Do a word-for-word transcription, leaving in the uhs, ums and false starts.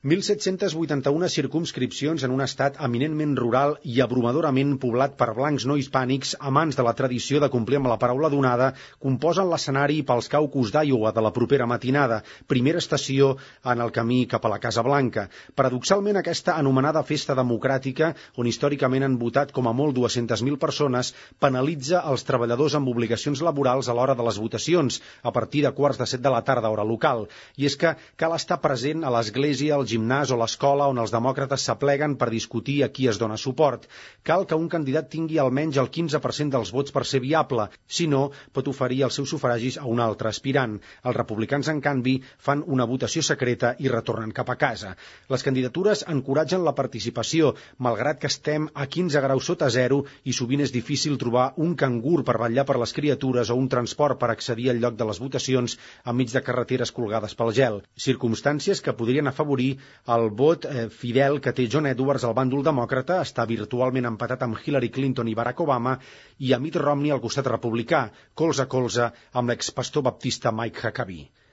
mil set-cents vuitanta-una circumscripcions en un estat eminentment rural i abrumadorament poblat per blancs no hispànics, amants de la tradició de complir amb la paraula donada, composen l'escenari pels caucus d'Iowa de la propera matinada, primera estació en el camí cap a la Casa Blanca. Paradoxalment, aquesta anomenada festa democràtica, on històricament han votat com a molt dues-centes mil persones, penalitza els treballadors amb obligacions laborals a l'hora de les votacions, a partir de quarts de set de la tarda, hora local. I és que cal estar present a l'església, al gimnàs o l'escola on els demòcrates s'apleguen per discutir a qui es dona suport. Cal que un candidat tingui almenys el quinze per cent dels vots per ser viable, si no, pot oferir els seus sufragis a un altre aspirant. Els republicans, en canvi, fan una votació secreta i retornen cap a casa. Les candidatures encoratgen la participació, malgrat que estem a quinze graus sota zero i sovint és difícil trobar un cangur per vetllar per les criatures o un transport per accedir al lloc de les votacions enmig de carreteres colgades pel gel. Circumstàncies que podrien afavorir el vot eh, fidel que té John Edwards al bàndol demòcrata, està virtualment empatat amb Hillary Clinton i Barack Obama, i a Mitt Romney al costat republicà, colze a colze amb l'expastor baptista Mike Huckabee.